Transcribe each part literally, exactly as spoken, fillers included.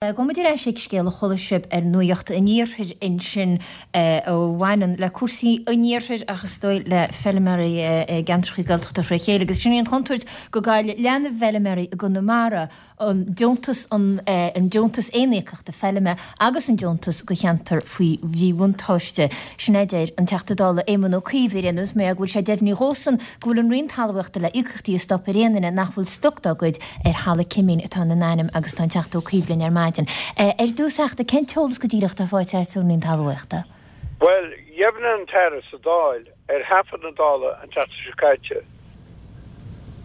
Gabhfaidh muid ar ais ag scéal a chuala sibh ar Nuacht an Iarthair ansin a bhaineann le cúrsaí an Iarthair ach is dóigh le feilméaraí i gceantracha Gaeltachta fré chéile agus sin í an chontúirt go gcaillfidh leath na bhfeilméaraí i gConamara an deontas an deontas aoníocaíochta feilme agus an deontas do cheantair faoi mhíbhuntáiste. Sin é a deir an Teachta Dála Éamon Ó Cuív ar aon nós mar go bhfuil sé deimhnithe dhósan go bhfuil an Roinn Talmhaíochta le íocaíochtaí a stop ar aon duine nach bhfuil stoc dá gcuid ar thalamh cimín atá ina n-ainm agus tá an Teachta Ó Cuív linn ar maidin. Ar dtús a Theachta, cén t-eolas go díreach atá faighte agat ón Roinn Talmhaíochta? Bhuel, dheimhnigh an tAire sa Dáil ar thaifead na Dála an tseachtain seo caite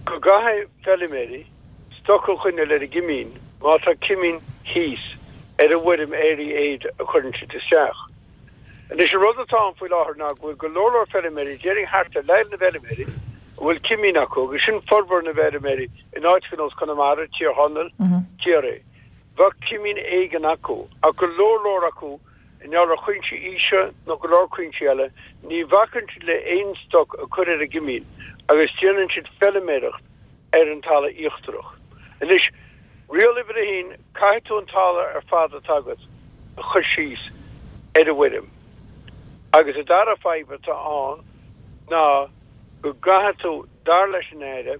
go gcaithfidh feilméaraí stoc a choinneáil ar a gcimín má tá cimín thíos ar an bhfoirm Area Aid a chuireann siad isteach. Anois an rud atá ann faoi láthair ná go bhfuil go leor leor feilméaraí, déarfainn thart ar leath na bhfeilméaraí a bhfuil cimín acu agus sin formhór na bhfeilméaraí in áiteacha ar nós Conamara, Tír Chonaill, Ciarraí. Bheadh cimín éigin acu ach go leor leor acu i ngeall ar chúinsí aoise nó go leor cúinsí eile, ní bhacann siad le aon stoc a chur ar a gcimín agus déanann siad feilméaracht ar an talamh íochtarach. Anois, riail uimhir a haon, caithfidh tú an talamh ar fad atá agat a chur síos ar an bhfoirm. Agus an dara fadhb atá ann ná go gcaithfidh tú, dar leis an Aire,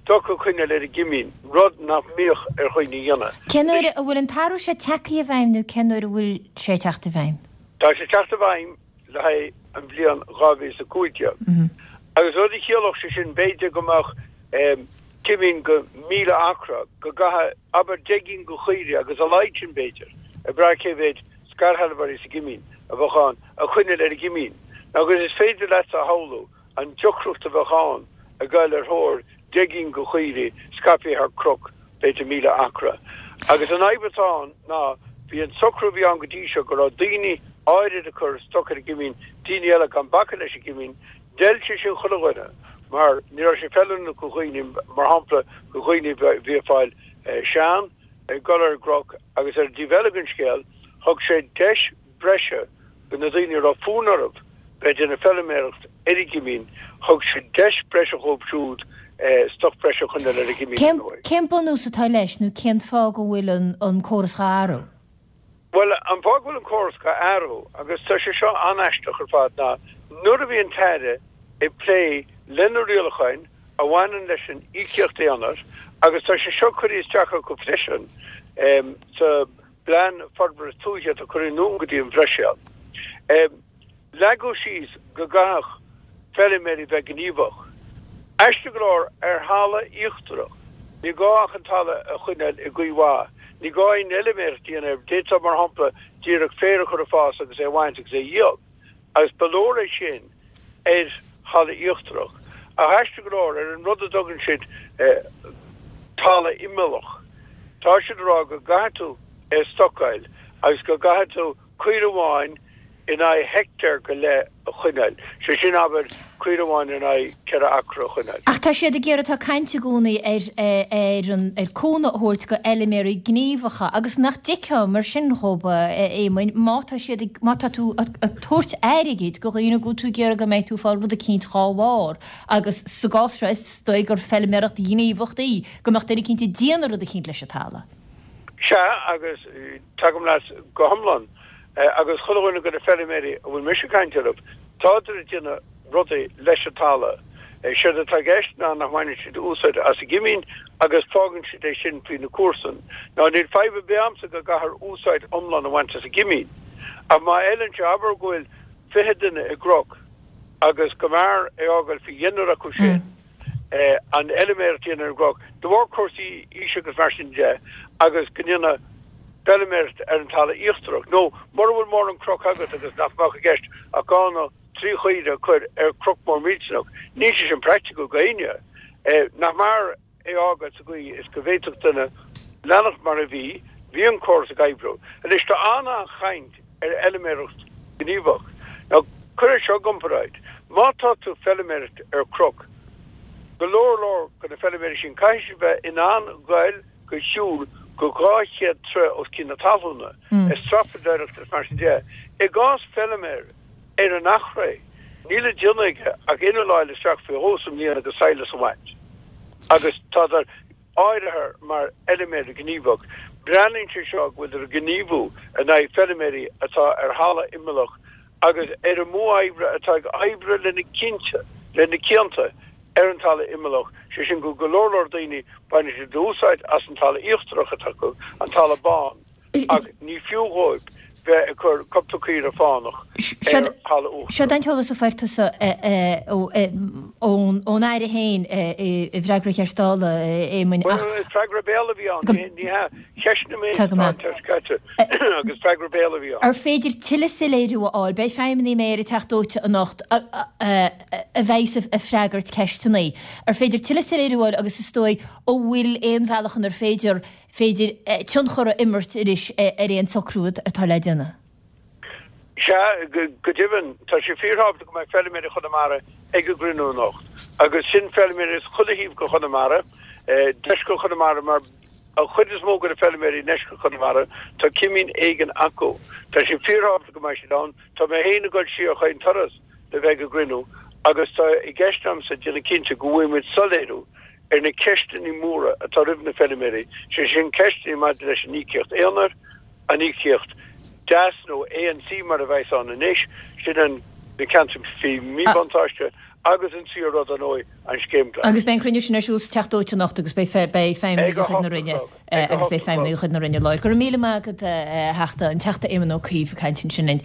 stoc a choinneáil ar an gcimín, rud nach mbíodh ar dhaoine a dhéanamh. Cén uair a bhfuil an t-athrú seo tagtha i bhfeidhm nó cén uair a bhfuil sé ag teacht i bhfeidhm? Tá sé ag teacht i bhfeidhm le haghaidh an bhliain dhá mhíle is a cúig déag. Agus rud a chiallódh sé sin, b'fhéidir go mbeadh cimín go míle acra, go gcaithfidh, abair, deich gcinn de chaoirigh agus a laghad sin b'fhéidir, ag brath cé mhéad scairshealbhóirí sa gcimín a bheadh ann, a choinneáil ar an gcimín. Agus is féidir leatsa a shamhlú an deacracht a bheadh ann ag goil ar thóir deich gcinn de chaoirigh scaipthe thar chnoc b'fhéidir míle acra. Agus an fhadhb atá ann ná bhí an socrú a bhí ann go dtí seo go raibh daoine áirid ag cur stoc ar an gcimín, daoine eile gan bacadh leis an gcimín, d'fheil sé sin chuile dhuine mar ní raibh sé feiliúnach do dhaoine, mar shampla do dhaoine a bhí ag fáil sean, ag dul ar an gcnoc agus ar an dtaobh eile den scéal thug sé deis breise do na daoine a raibh fonn orthu bheith ag déanamh feilméaracht ar an gcimín, thug sé deis breise dhóibh siúd stoc breise a choinneáil ar an gcimín, ar ndóigh. Cén bunús atá leis nó cén fáth go bhfuil an córas dhá athrú? Bhuel, an fáth go bhfuil an córas dhá athrú, agus tá sé seo an-aisteach ar fad, ná nuair a bhí an tAire ag plé le na rialacháin a bhaineann leis an íocaíocht aonair, agus tá sé seo curtha isteach acu freisin sa bPlean Forbartha Tuaithe atá curtha anonn go dtí an Bhruiséil. Leagadh síos go gcaithfeadh feilméaraí bheith gníomhach. Aisteach go leor, ar thalamh íochtarach, ní gá ach an talamh a choinneáil i gcaoi mhaith. Ní gá aon fheilméaracht a dhéanamh air. D'fhéadfá, mar shampla, díreach féar a chur ag fás agus é a bhaint agus é a dhíol. Agus ba leor é sin ar thalamh íochtarach. Ach aisteach go leor, ar an rud a dtugann siad talamh imeallach, tá siad ag rá go gcaithfidh tú é a stocáil agus go gcaithfidh tú caora amháin in aghaidh heicteár go leith a choinneáil, sé sin, abair, caora amháin in aghaidh ceithre acra a choinneáil. Ach tá siad ag iarraidh, tá caint i gcónaí ar ar an ar cúnamh a thabhairt go fheilméaraí gníomhacha agus nach dtuigfeá mar sin dhóibh, a Éamoinn, má tá siad ag, má tá tú ag tabhairt airgid go dhaoine go bhfuil tú ag iarraidh go mbeidh tú ag fáil rud eicínt dhá bharr agus sa gcás seo is dóigh gur feilméaracht ghníomhach í, go mbeadh duine eicínt ag déanamh rud eicínt leis an talamh. Sea, agus tagaim leat go hiomlán. Agus chuile dhuine de na feilméaraí a bhfuil mise ag caint orthu, tádar ag déanamh rudaí leis an talamh. Séard atá i gceist ná nach mbaineann siad úsáid as an gcimín agus fágann siad é sin faoi na comharsain. Now níl fadhb ar bith a'msa go gcaithfear úsáid iomlán a bhaint as an gcimín. Ach má fheileann sé, abair go bhfuil fiche duine i gcnoc agus go mb'fhearr é fhágáil faoi dheichniúr acu sin, an fheilméaracht a dhéanamh ar an gcnoc, de bharr cúrsaí aoise agus mar sin de, agus go ndéanadh feilméaracht ar an talamh íochtarach. Nó mura bhfuil mórán cnoc agat agus nach mbeadh i gceist ach dhá nó trí chaora a chur ar chnoc mór millteanach, níl sé sin praiticiúil go éinne. Nach mb'fhearr é a fhágáil sa gcaoi is go bhféadfadh duine leanacht mar a bhí, bhí an córas ag oibriú. Anois tá an-an-chaint ar fheilméaracht ghníomhach. Now cuir é seo i gcomparáid, má tá tú ag feilméaracht ar chnoc, go leor leor de na feilméaraí sin, caithfidh siad bheith in ann goil go shiúl go dhá chéad troigh os cionn na talúna, ag strapadóireacht is mar sin de. I gcás feilméar ar an Achréidh, níl le déanamh aige ach inneall a fháil isteach faoi dhó sa mbliain agus sadhlas a bhaint. Agus tádar áirithe mar fheilméar gníomhach. Breathnaíonn sé seo go bhfuiltear ag gníomhú in aghaidh feilméaraí atá ar thalamh imeallach agus ar an modh oibre atá ag oibriú le na cinnte, le na cianta ar an talamh imeallach, sé sin go go leor leor daoine baineann siad úsáid as an talamh íochtarach atá acu, an talamh bán, ach ní fiú dhóibh bheith ag cur cúpla caora fánach ar thalamh uachtarach. Seo an t-eolas a fuair tusa ón Aire féin i bhfreagra cheist Dála, a Éamoinn, ach. Bhuel, freagra béil a bhí ann, ní hea. Cheistigh mé an tseachtain seo caite agus freagra béil a bhí ann. Ar féidir tuilleadh soiléiriú a fháil? Beidh feidhmeannaigh an Méara ag Teach Dóite anocht a bheidh ag freagairt ceisteanna. Ar féidir tuilleadh soiléiriú a fháil agus is dóigh an bhfuil aon bhealach inar féidir féidir tionchar a imirt anois ar aon socrú atá le déanamh? Sea, go deimhin, tá sé fíorthábhachtach go mbeidh feilméaraí Chonamara ag an gcruinniú anocht. Agus sin feilméaraí as chuile thaobh de Chonamara, deisceart Chonamara, mar an chuid is mó de na feilméaraí i ndeisceart Chonamara, tá cimín éigin acu. Tá sé fíorthábhachtach go mbeidh siad ann. Tá mé féin ag dul siar chaon turas le bheith ag an gcruinniú agus tá i gceist agamsa déanamh cinnte go bhfaighidh muid soiléiriú ar na ceisteanna móra atá roimh na feilméaraí, sé sin ceisteanna maidir leis an íocaíocht aonair, an íocaíocht deas nó ANC mar a bheas ann anois, sin an na ceantair faoi mhíbhuntáiste agus an tríú rud, ar ndóigh, an Scéim Ghlais. Agus beidh an cruinniú sin ar siúl sa Teach Dóite anocht agus beidh feidhmeannaigh de chuid na Roinne agus beidh feidhmeannaigh de chuid na Roinne i láthair. Go raibh míle maith agat, a Theachta, an Teachta Éamon Ó Cuív ag caint ansin linn.